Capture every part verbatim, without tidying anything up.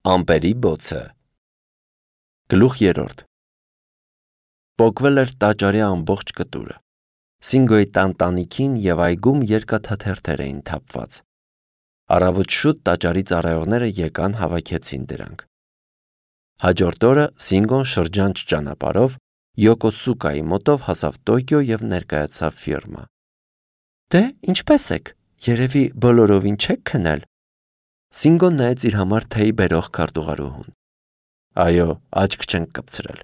Ամպերի բոցը Գլուխ երրորդ Պոկվել էր տաճարի ամբողջ կտուրը։ Սինգոյի տանտանիքին և այգում երկաթաթերթեր էին թափված։ Առավոտ շուտ տաճարի ծառայողները եկան հավաքեցին դրանք։ Հաջորդ օրը Սինգոն շրջանց ճանապարհով Յոկոսուկայի մոտով հասավ Տոկիո և ներկայացավ ֆիրմա։ Դե, ինչպե՞ս եք, երևի բոլորովին չեք քնել։ Սինգոն նայեց իր համար թեյ բերող քարտուղարուհուն։ Այո, աչք չենք կպցրել։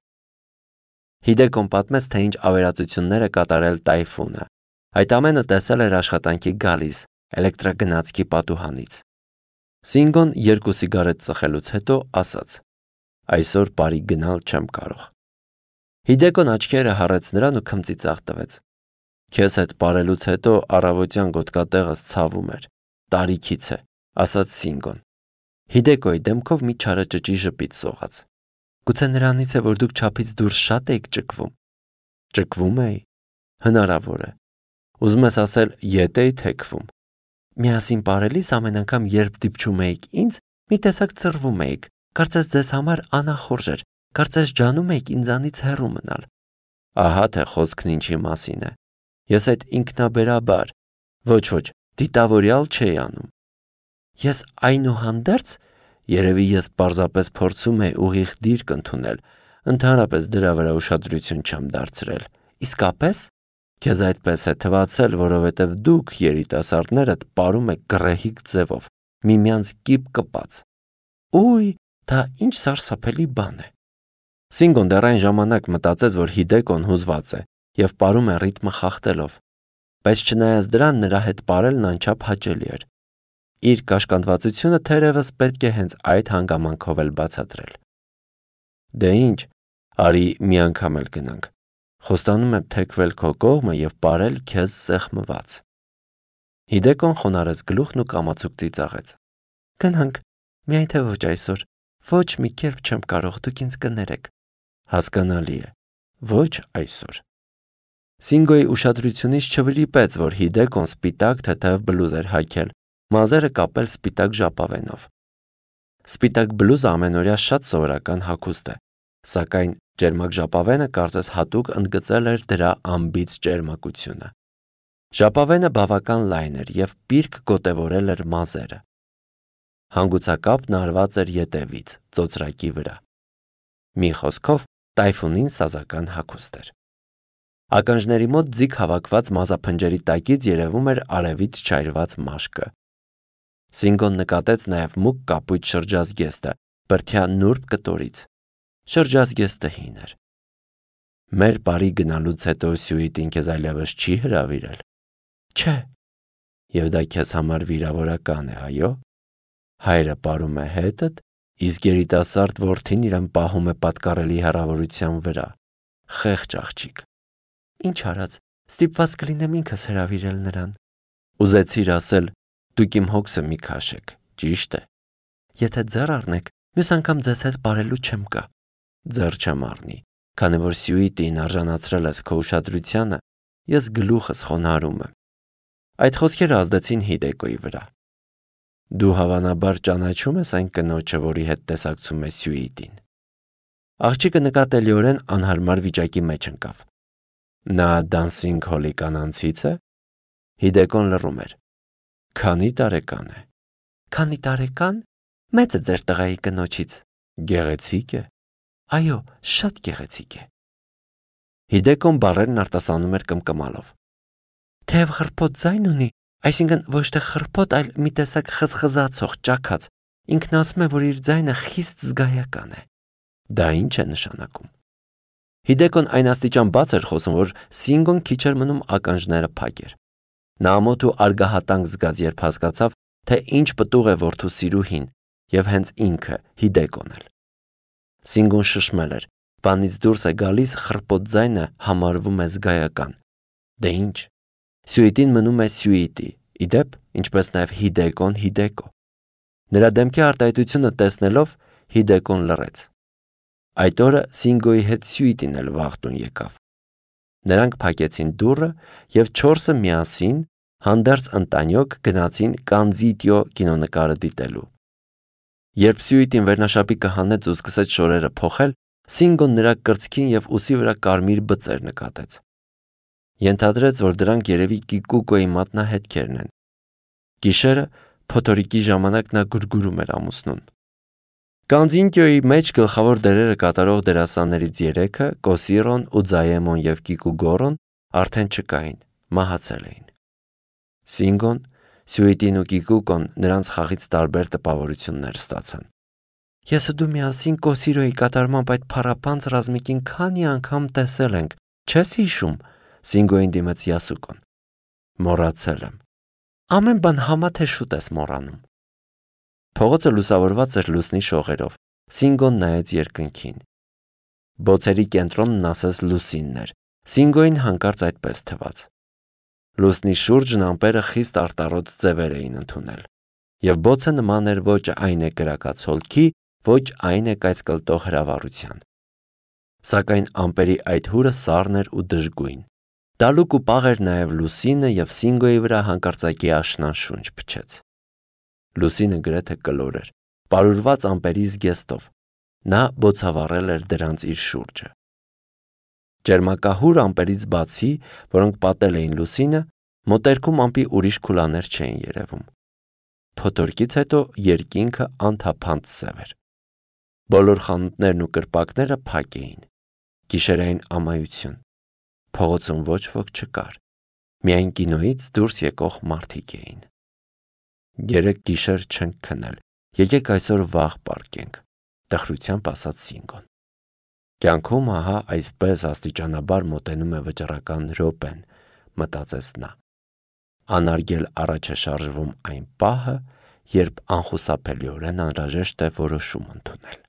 Հիդեկոն պատմեց, թե ինչ ավերածություններ է կատարել Տայֆունը։ Այդ ամենը տեսել էր աշխատանքի գալիս էլեկտրագնացքի պատուհանից։ Սինգոն երկու սիգարետ ծխելուց հետո ասաց. Այսօր բարի գնալ չեմ կարող։ Հիդեկոն աչքերը հառեց նրան ու քմծիծաղ տվեց։ Քեզ հետ պարելուց հետո առավոտյան գոտկատեղս ցավում էր, տարիքից է, ասաց Սինգոն։ Հիդեկոյի դեմքով մի չարաճճի ժպիտ սողաց։ Գուցե նրանից է, որ դուք չափից դուրս շատ էիք ճկվում։ Ճկվում էի։ Հնարավոր է։ Ուզում ես ասել, ետ էի թեքվում։ Միասին պարելիս ամեն անգամ, երբ դիպչում էիք ինձ, մի տեսակ ծռվում էիք, կարծես ձեզ համար անախորժ էր, կարծես ջանում էիք ինձանից հեռու մնալ։ Ահա թե խոսքն ինչի մասին է։ Ես այդ ինքնաբերաբար, ոչ ոչ, դիտավորյալ չէի անում։ Ես այնուհանդերձ, երևի ես պարզապես փորձում էի ուղիղ դիրք ընդունել, ընդհանրապես դրա վրա ուշադրություն չեմ դարձրել։ Իսկապես, քեզ այդպես է թվացել, որովհետև դուք երիտասարդներդ պարում եք գռեհիկ ձևով, միմյանց կիպ կպած։ Ուй, դա ինչ սարսափելի բան է։ Սինգոն դեռ այն ժամանակ մտածեց, որ Հիդեկոն հուզված է և պարում է ռիթմը խախտելով, բայց չնայած դրան նրա հետ պարելն անչափ հաճելի էր։ Իր կաշկանդվածությունը թերևս պետք է հենց այդ հանգամանքով էլ բացատրել։ Դե ինչ, արի մի անգամ էլ գնանք։ Խոստանում եմ թեքվել քո կողմը և պարել քեզ սեղմված։ Հիդեկոն խոնարհեց գլուխն ու կամացուկ ծիծաղեց։ Գնանք, միայն թե ոչ այսօր, ոչ մի կերպ չեմ կարող, դուք ինձ կներեք։ Հասկանալի է, ոչ այսօր։ Սինգոյի ուշադրությունից չվրիպեց, որ Հիդեկոն սպիտակ թեթև բլուզ էր հագել, մազերը կապել սպիտակ ժապավենով։ Սպիտակ բլուզը ամենօրյա շատ սովորական հագուստ է, սակայն ճերմակ ժապավենը կարծես հատուկ ընդգծել էր դրա անբիծ ճերմակությունը։ Ժապավենը բավական լայն էր և պիրկ գոտևորել էր մազերը։ Հանգուցակապն արված էր ետևից, ծոծրակի վրա։ Մի խոսքով, Տայֆունին սազական հագուստ էր։ Ականջների մոտ ձիգ հավաքված մազափնջերի տակից երևում էր արևից չայրված մաշկը։ Սինգոն նկատեց նաև մուգ կապույտ շրջազգեստը, բրդյա նուրբ կտորից։ Շրջազգեստը հին էր։ Մեր բարի գնալուց հետո Սյուիտին քեզ այլևս չի հրավիրել։ Չէ։ Եվ դա քեզ համար վիրավորական է, այո։ Հայրը պարում է հետդ, իսկ երիտասարդ որդին իրեն պահում է պատկառելի հեռավորության վրա։ Խեղճ աղջիկ։ Ինչ արած, ստիպված կլինեմ ինքս հրավիրել նրան։ Ուզեցիր ասել, դուք իմ հոգսը մի քաշեք, ճիշտ է։ Եթե ձեռ առնեք, մյուս անգամ ձեզ հետ պարելու չեմ գա։ Ձեռ չեմ առնի, քանի որ Սյուիտին արժանացրել ես քո ուշադրությանը, ես գլուխս խոնարհում եմ։ Այդ խոսքերը ազդեցին Հիդեկոյի վրա։ Դու հավանաբար ճանաչում ես այն կնոջը, որի հետ տեսակցում է Սյուիտին։ Աղջիկը նկատելիորեն անհարմար վիճակի մեջ ընկավ։ Նա դանսինգ հոլի կանանցից է։ Հիդեկոն լռում էր։ Քանի տարեկան է։ Քանի տարեկան։ Մեծ է ձեր տղայի կնոջից։ Գեղեցիկ է։ Այո, շատ գեղեցիկ է։ Հիդեկոն բառերն արտասանում էր կմկմալով։ Թեև խռպոտ ձայն ունի, այսինքն ոչ թե խռպոտ, այլ մի տեսակ խզխզացող, ճաքած, ինքն ասում է, որ իր ձայնը խիստ զգայական է։ Դա ինչ է նշանակում։ Հիդեկոն այն աստիճան բաց էր խոսում, որ Սինգոն քիչ էր մնում ականջները փակեր։ Նա ամոթ ու արգահատանք զգաց, երբ հասկացավ, թե ինչ պտուղ է որդու սիրուհին, և հենց ինքը Հիդեկոն էլ։ Սինգոն շշմել էր, բանից դուրս է գալիս, խռպոտ ձայնը համարվում է զգայական։ Դե ինչ։ Սյուիտին մնում է Սյուիտի, ի դեպ, ինչպես նաև Հիդեկոն Հիդեկո։ Նրա դեմքի արտահայտությունը տեսնելով Հիդեկոն լռեց։ Այդ օրը Սինգոյի հետ Սյուիտին էլ վաղ տուն եկավ։ Նրանք փակեցին դուռը և չորսը միասին հանդերձ ընտանյոք գնացին Կանզիտյո կինոնկարը դիտելու։ Երբ Սյուիտին վերնաշապիկը հանեց ու սկսեց շորերը փոխել, Սինգոն նրա կրծքին և ուսի վրա կարմիր բծեր նկատեց։ Ենթադրեց, որ դրանք երևի Կիկուկոյի մատնահետքերն են։ Գիշերը փոթորիկի ժամանակ նա գուրգուրում էր ամուսնուն։ Կանձինկյոյի մեջ գլխավոր դերերը կատարող դերասաններից երեքը՝ Կոսիրոն ու Ձայեմոն և Կիկուգորոն արդեն չկային, մահացել էին։ Սինգոն, Սյուիտին ու Կիկուկոն նրանց խաղից տարբեր տպավորություններ ստացան։ Ես ու դու միասին Կոսիրոյի կատարմամբ այդ փառապանծ ռազմիկին քանի անգամ տեսել ենք, չես հիշում, Սինգոյին դիմեց Յասուկոն։ Մոռացել եմ։ Ամեն բան համա թե շուտ ես մոռանում։ Փողոցը լուսավորված էր լուսնի շողերով։ Սինգոն նայեց երկնքին։ Բոցերի կենտրոնն ասես լուսինն էր։ Սինգոյին հանկարծ այդպես թվաց։ Լուսնի շուրջն ամպերը խիստ արտառոց ձևեր էին ընդունել, և բոցը նման էր ոչ այն է կրակած հոլքի, ոչ այն է կայծկլտող հրավառության։ Սակայն ամպերի այդ հուրը սառն էր ու դժգույն։ Դալուկ ու պաղ էր նաև լուսինը, և Սինգոյի վրա հանկարծակի աշնան շունչ փչեց։ Լուսինը գրեթե կլոր էր, պարուրված ամպերի զգեստով։ Նա բոցավառել էր դրանց իր շուրջը։ Ճերմակահուր ամպերից բացի, որոնք պատել էին լուսինը, մոտերքում ամպի ուրիշ քուլաներ չէին երևում։ Փոթորկից հետո երկինքը անթափանց սև էր։ Բոլոր խանութներն ու կրպակները փակ էին։ Գիշերային ամայություն։ Փողոցում ոչ ոք չկար։ Միայն կինոյից դուրս եկող մարդիկ էին։ Երեք գիշեր չենք քնել, եկեք այսօր վաղ պառկենք, տխրությամբ ասաց Սինգոն։ Կյանքում ահա այսպես աստիճանաբար մոտենում է վճռական րոպեն, մտածեց նա։ Անարգել առաջ է շարժվում այն պահը, երբ անխուսափելիորեն անհրաժեշտ է որոշում ընդունել։